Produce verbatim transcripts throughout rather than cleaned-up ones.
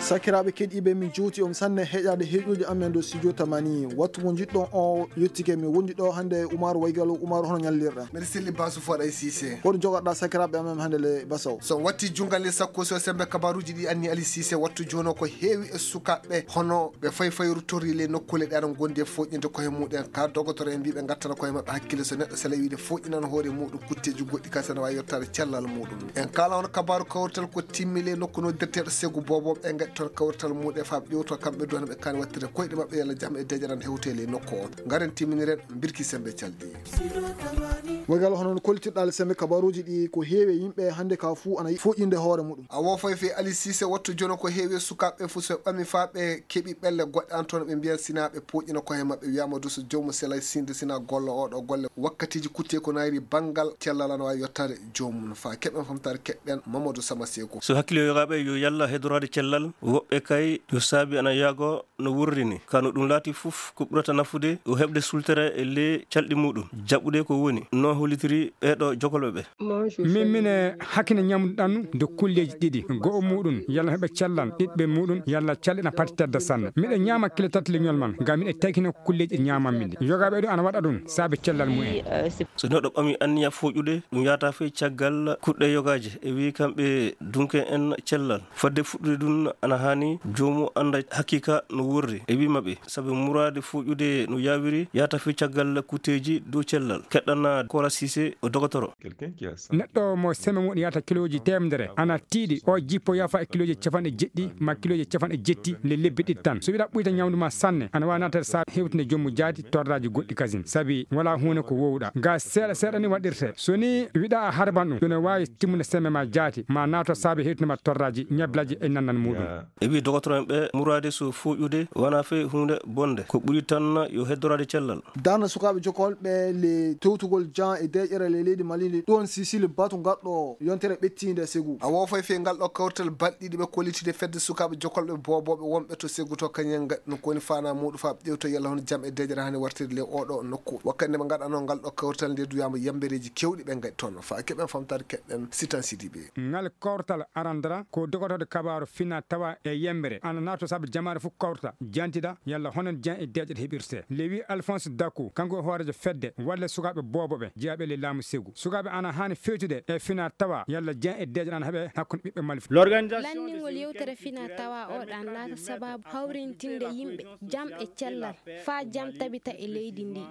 Sakiraaɓe keɗiiɓe, min juuti on sanne heƴaade heɗuuji amen ɗo studio Tamani. Wattu mo njiɗɗon o yottike, min wondi ɗo hannde e Umaru Waygalo. Umaru, hono ñallirɗa? Mbeɗa selli Basu Foɗa e Cissé. Hoɗum jogaɗa sakiraaɓe amen hannde le Basaw? So on watti junngal le sakko so sembe kabaruuji ɗi anni Ali Cissé, wattu jooni o ko heewi e sukaaɓe hono ɓe fay fay ruttori le nokkuule ɗe aɗa ngondi e foƴƴinde koye muɗen. Ka dogotoro en mbiɓe ngattana koye maɓɓe hakkille so neɗɗo sela wiide foƴƴinan hoore muɗum kutteji goɗɗi ka sene wawi yottade cellal muɗum. En kala on kabaru kawrital ko timmi le nokku noddirteɗo segu bobo ɓe gaɗi toon kawrital muɗe faaɓe ƴewto kamɓe duwana ɓe kani wattirde koyɗe maɓɓe yalla jam e dejaran hewte le nokku o. Ngaren timminiren birki sembe calɗi. Wagal hono no kollitirɗa le sembe kabaruji ɗi ko heewi e yimɓe hannde ka fuu ana foƴƴinde hoore muɗum. A wofay fe Ali Cissé wattu jono ko heewi e sukaaɓe fuu so ɓe ɓami faa ɓe keɓi ɓelle goɗɗe an toon ɓe mbiyan sina ɓe poƴƴina koye maɓɓe wiyama du so joomu selay sinde sina golla oɗo golle wakkatiji kutte ko nayri banngal cellal ana wawi yottade joomum faa keɓen famtare keɓɓen Mamadou Sama Seko. So hakkille yogaɓe yo yalla hedorade cellal woɓɓe kay yo saabi ana yaago no wurri ni. Ka no ɗum laati fof, ko ɓurata nafude ko heɓde sultere e ley calɗi muɗum, jaɓɓude ko woni, no hollitiri ɓeeɗo jokolɓe ɓe. Min, mine hakkine ñamduɗan nde kulleeji ɗiɗi, go'o muɗum yalla heɓa cellal, ɗiɗɓe muɗum yalla calɗi na pati tedda sanne. Miɗa ñaama kilo tati leñol man, ngam miɗa taykina ko kulleeji ɗi ñaamammi ɗi. Yogaaɓe ɗum ana waɗa ɗum saabe cellal mumen. So neɗɗo ɓami anniya fooƴude, ɗum yahata fey caggal kuɗɗe yogaaje. E wii kamɓe dunke en cellal. Fadde fuɗɗude ɗum ana haani joomu annda hakiika no worri. E wii maɓɓe, sabu muraade fooƴude no yaawiri, yahata fey caggal kutteeji dow cellal. Keɗɗana Kora Sise o dogotoro. Neɗɗo mo seme muɗum yahata kilooji teemedere, ana tiiɗi, o jippo yafa e kilooji capanɗe jeɗɗi ma kilooji capanɗe jetti le lebbi ɗiɗi tan. So wiɗa ɓuyta ñamdu ma sanne, ana waawi naatade saabe hewtinde joomu jaati torraaji goɗɗi kasin, sabi wala huunde ko wowɗa. Ga seeɗa seeɗa ni waɗirte. So ni wiɗa a harban ɗum, ɗum ne waawi timmude seme ma jaati, ma naato saabe hewtinde ma torraaji, ñablaaji e nannan muɗum. E wi dogotoro en ɓe muraade so fooƴude wona fe huunde bonde, ko ɓuri tan yo heddoraade cellal. Darnde sukaaɓe jokolɓe le tewtugol jan e deeƴere le leydi Mali ndi ɗon Sisili batu ngarɗo yontere ɓettiinde Segu. A wofay fe ngal ɗo kawrital balɗe ɗiɗi ɓe kollitide fedde sukaaɓe jokolɓe boobooɓe wonɓe to Segu to kañen ngaɗi ɗum ko woni fana muɗum faa ɓe ƴewto yalla hono jam e deeƴere hani wartirde le oɗo nokku. Wakkati nde ɓe ngaɗano ngal ɗo kawrital nde duyama yambereeji kewɗi ɓe ngaɗi toon. Faa keɓen famtaade keɗɗen Sitan Sidibe. Ngal kawrital arandara ko dogotooɗo kabaaru fina tawa e yembere ana naato saabe jamaare fof kawrita jantida yalla hono jan e deeƴe ɗe heɓirte. Lewi Alphonse Daku, kanko e hooreejo fedde walle sukaaɓe booboɓe jeyaaɓe le laamu Segu. Sukaaɓe ana haani fewtude e fina tawa yalla jan e deeƴe ana heɓe hakkunde ɓiɓɓe Mali fof. Lanndingol yewtere fina tawa o ɗan laata sababu hawrintinde yimɓe jam e cellal faa jam tabita e leydi ndi.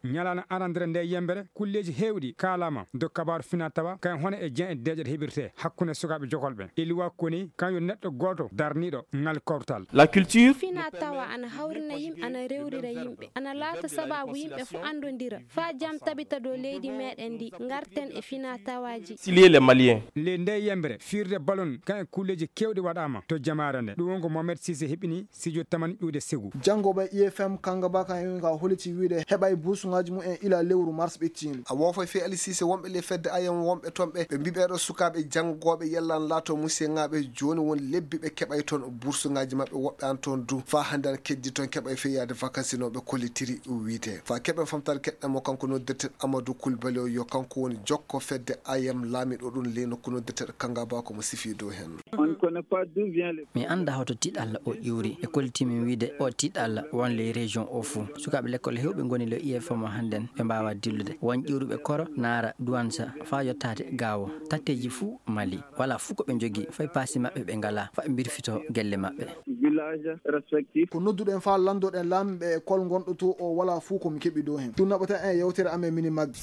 Ñalaande arandere nde yembere, kulleeji heewɗi kaalama dow kabaaru fina tawa, kayen hono e jen e deeƴe ɗe heɓirte hakkunde sukaaɓe jokolɓe. Iliwa koni kan yo neɗɗo gooto darniiɗo ngal kawtal. La culture. Fina tawa ana hawrina yimɓe, ana rewrira yimɓe, ana laata sababu yimɓe fof anndondira. Faa jam tabita dow leydi meɗen ndi, ngarten e fina tawaji. Silier les Maliens. Le nde yembere, firde balon, kan e kulleeji kewɗi waɗama to jamaare nde. Ɗum won ko Mohamed Sise heɓini. Sijo tamani ƴuude Segu. Janngoɓe I F M Kangaba kan en ka holiti wiide heɓay bursuŋaaji mum en ila lewru mars ɓettiindu. A woofay fii Ali Siise wonɓe ley fedde ayam wonɓe toon ɓe, ɓe mbii ɓeeɗo sukaaɓe janngooɓe yalla ana laato musiyeŋaaɓe jooni woni lebbi ɓe keɓay toon bursuŋaaji maɓɓe woɓɓe an toon du faa hannde ana keddi toon keɓay fii yaade vakansinooɓe kollitiri wiide. Faa keɓen famtaade keɗɗen mo kanko noddirten Amadou Coulibaly o yo kanko woni jokko fedde ayam laamiiɗo ɗum ley nokku noddirteeɗo Kangaba ko mo sifii dow heen. On ne connaît pas d'où vient le. Mi anndaa hoto tiiɗalla o ƴuuri. E kolliti min wiide o tiiɗalla won ley région o fuu. Sukaaɓe lekkol heewɓe ngoni le I F M o hannden ɓe mbaawaa dillude. Won ƴuuruɓe Koro, Naara, Duwansa faa yottaade Gaawo. Tatteeji fuu Mali. Walaa fuu ko ɓe njogii. Fay paasi maɓɓe ɓe ngalaa. Faa ɓe mbirfito gelle maɓɓe. Village respectif. Ko nodduɗen faa lanndoɗen laamiiɓe e kol ngonɗo to o walaa fuu ko mi keɓi dow heen. Ɗum naɓata en e yewtere amen mini maggi.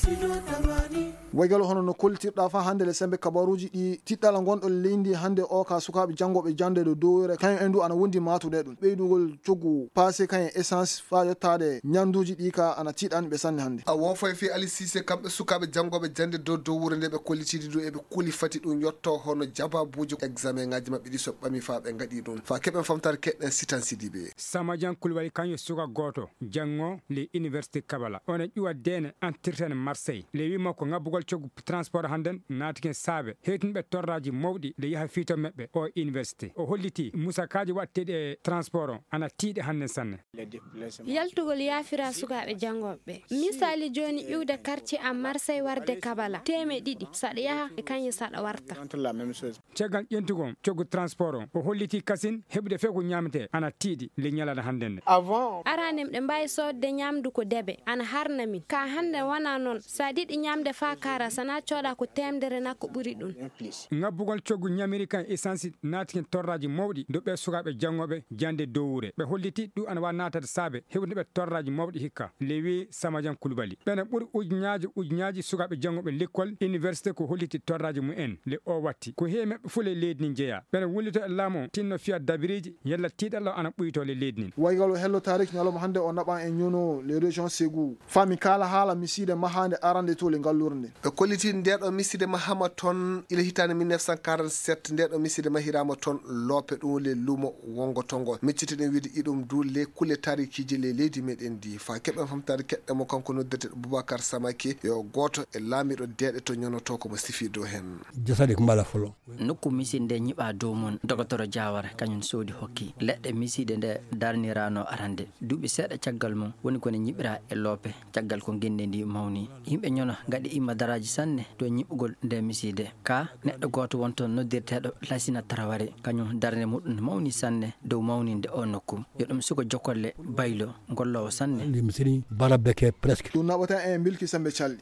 Waygalo hono no kollitirɗa faa hannde le sembe kabaruuji ɗi tiɗɗala ngonɗo leydi hannde o ka sukaaɓe janngooɓe jannde ɗo dowere kañum en du ana wondi maatude ɗum. Ɓeydugol coggu paase kañum essence faa yottaade ñannduuji ɗi ka ana tiiɗani ɓe sanne hannde. A woofay fii Ali Siise kamɓe sukaaɓe janngooɓe jannde dow dow wuro nde ɓe kollitidi du eɓe kuli fati ɗum yotto hono jababuuji examen ŋaaji maɓɓe ɗi so ɓami faa ɓe ngaɗi ɗum. Faa keɓen famtaade keɗɗen Sitan Sidibe. Samajan Kulbali kañum suka gooto janngo le université Kabala. Ona ƴuwa deene antirten Marseille. Lewima ko ngabbugol coggu transport hannden naatiken saabe hewtinɓe torraaji mawɗi nde yaha fii to meɓɓe o université. O holliti musakaaji waɗteeɗi e transport o ana tiiɗi hannden sanne. Yaltugol yaafira sukaaɓe janngooɓe. Misaali jooni iwde quartier am Marseille warde Kabala. Teeme ɗiɗi saɗa yaha e kañum saɗa warta. Caggal ƴentugol coggu transport o, o holliti kasin heɓude few ko ñaametee ana tiiɗi le ñalawma hannden nde. Avant. Araanem ɗe mbaawi soodde ñaamdu ko debe, ana harna min. Ka hannden wonaa noon. So a yiɗi ñaamde faa kaara, so a cooda ko teemdere na ko ɓuri ɗum. Ngabbugol coggu ñamiri kan essence naati hen torraaji mawɗi do ɓee sukaaɓe janngooɓe jannde dowuure. Ɓe holliti ɗum ana waawi naatade saabe heɓude ɓe torraaji mawɗi hikka. Lewi Samajan Kulubali. Ɓena ɓuri ujunnaaji ujunnaaji sukaaɓe janngooɓe lekkol université ko holliti torraaji mumen le o watti. Ko heewi maɓɓe fuu le leydi ndin jeyaa. Ɓena wullito e laamu o tinno fiya dabiriiji yalla tiiɗalla o ana ɓuytoo le leydi ndin. Waygal o hello tarik ñalawma hannde o naɓan e ñuno le région Ségou. Fami kala haala misiide mahaande arande to le ngallure nde. Ɓe kolliti ndeɗo misiide mahama toon ila hitaande mille neuf cent quarante-sept, ndeɗo misiide mahiraama toon loope ɗum le lumo wongo tongo. Miccitiɗen wiide iɗum du le kulle taarikiiji le leydi meɗen ndi. Fa keɓen famtaade keɗɗe mo kanko noddirte Boubacar Samake yo gooto e laamiɗo deeɗe to ñonoto ko mo sifi dow hen. Jasade ko mbala folo. Nokku misiide nde ñiɓa dow mum, Dogotoro Diawara, kañum soodi hokki. Leɗɗe misiide nde darnirano arande. Duuɓi seeɗa caggal mum, woni ko ne ñiɓira e loope, caggal ko ngenndi ndi mawni. Yimɓe ñono ngaɗi imma daraaji sanne dow ñiɓugol nde misiide. Ka neɗɗo gooto won toon noddirteeɗo Lasina Taraware, kañum darnde muɗum mawni sanne dow mawninde o nokku. Yo ɗum suko jokolle baylo, golloowo sanne. Ndi mi seni bala beke presque. Ɗum naɓata en Bilki Sembe Calli.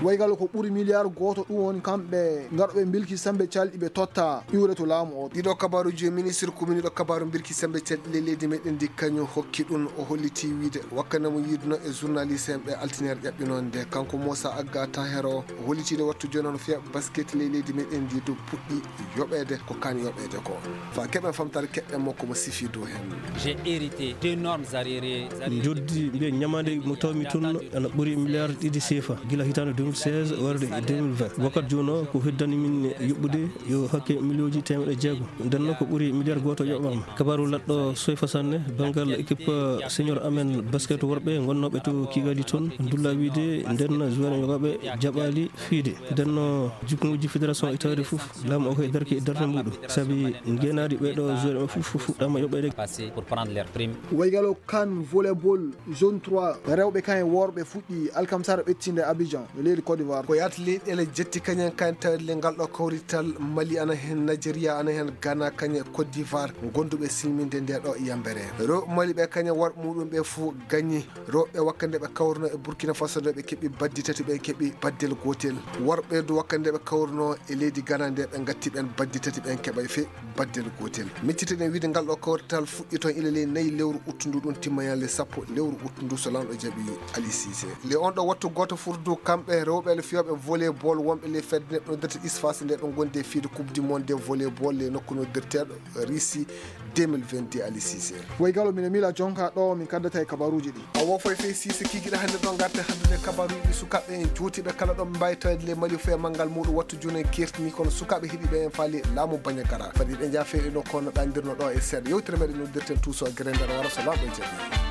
Waygal ko ɓuri miliyar gooto ɗum woni kamɓe ngarɓe Bilki Sembe Calɗi ɓe totta iwre to laamu o. Ɗiɗo kabaruji e ministre commune ɗo kabaru Bilki Sembe Calɗi le leydi meɗen ndi kañum hokki ɗum. O holliti wiide wakkane mo yiiduno e journaliste en ɓe altiniere ƴaɓɓinoo nde kanko Moussa Agga Tahero o hollitiiɗo wattu jooni hono fiya basket le leydi meɗen ndi dow puɗɗi yoɓeede ko kan yoɓeede ko. Fa keɓen famtaare keɗɗen mo ko mo sifi dow hen. J'ai hérité d'énormes arriérés. Njoddi mbiya ñamaande mo tawmi toon ana ɓuri milliard ɗiɗi sefa gila hitaande deux mille seize warde deux mille vingt. Wakkati jooni o ko heddani min yuɓɓude yo hakke miliyonji teemeɗe jeego. Nden noon ko ɓuri milliard gooto yoɓaama. Kabaaru laɗɗo soyfa sanne banngal équipe senior amen basket worɓe ngonnooɓe to Kigali toon ndulla wiide nden joueur yoɓaɓe jaɓaali fiide. Nden no jikkuuji fédération itaade fof laamu o koye darki e darnde muɗum. Sabi ngeenaari ɓeeɗo joueur ɓe fof fuɗɗaama yoɓeede. Passé pour prendre leur prime. Waygalo kan volleyball zone trois rewɓe kan e worɓe fuɗɗi alkamsara ɓettinde Abidjan e leydi Côte d'Ivoire. Ko yaata leyɗeele jetti kañen kan tawde le ngal ɗo kawrital Mali ana heen, Nigeria ana heen, Ghana kañe Côte d'Ivoire gonduɓe silminde nde ɗo yambere. Rewɓe Mali ɓe kañe worɓe muɗum ɓe fof gañi. Rewɓe wakkande ɓe kawruno e Burkina Faso nde ɓe keɓi baddi tati ɓen keɓi baddel gotel. Worɓe du wakkande ɓe kawruno e leydi Ghana nde ɓe gatti ɓen baddi tati ɓen keɓay fe baddel gotel. Miccitiɗen wiide ngal ɗo kawrital fuɗɗi toon ila ley nayi lewru uttundu ɗum timma ñande sappo lewru uttundu so lanɗo jaɓi Ali Cissé. Le on ɗo wattu gooto furdu kamɓe rewɓe le fiyooɓe volleyball wonɓe le fedde neɗɗo dati isfas nde ɓe gonde fiide coupe du monde de volleyball le nokku noddirteeɗo Russie deux mille vingt-deux Ali Cissé. Woy galo mine mila jonka ɗo min kaddata e kabaruji ɗi. A wofay fey Cissé kikiɗe hannde ɗo ngarten hanndude kabaruji ɗi sukaaɓe en jootiiɓe kala ɗo mbawi tawede le Mali foye manngal muɗum wattu joni en kertini kono sukaaɓe heɗiɓe en faali laamu Bandiagara. Fadi ɓe jaa fewɗe no kono ɗandirno ɗo e seeɗa yewtere meɗen noddirten tuuso e gere nder wara so laaɓo e jaaɓi.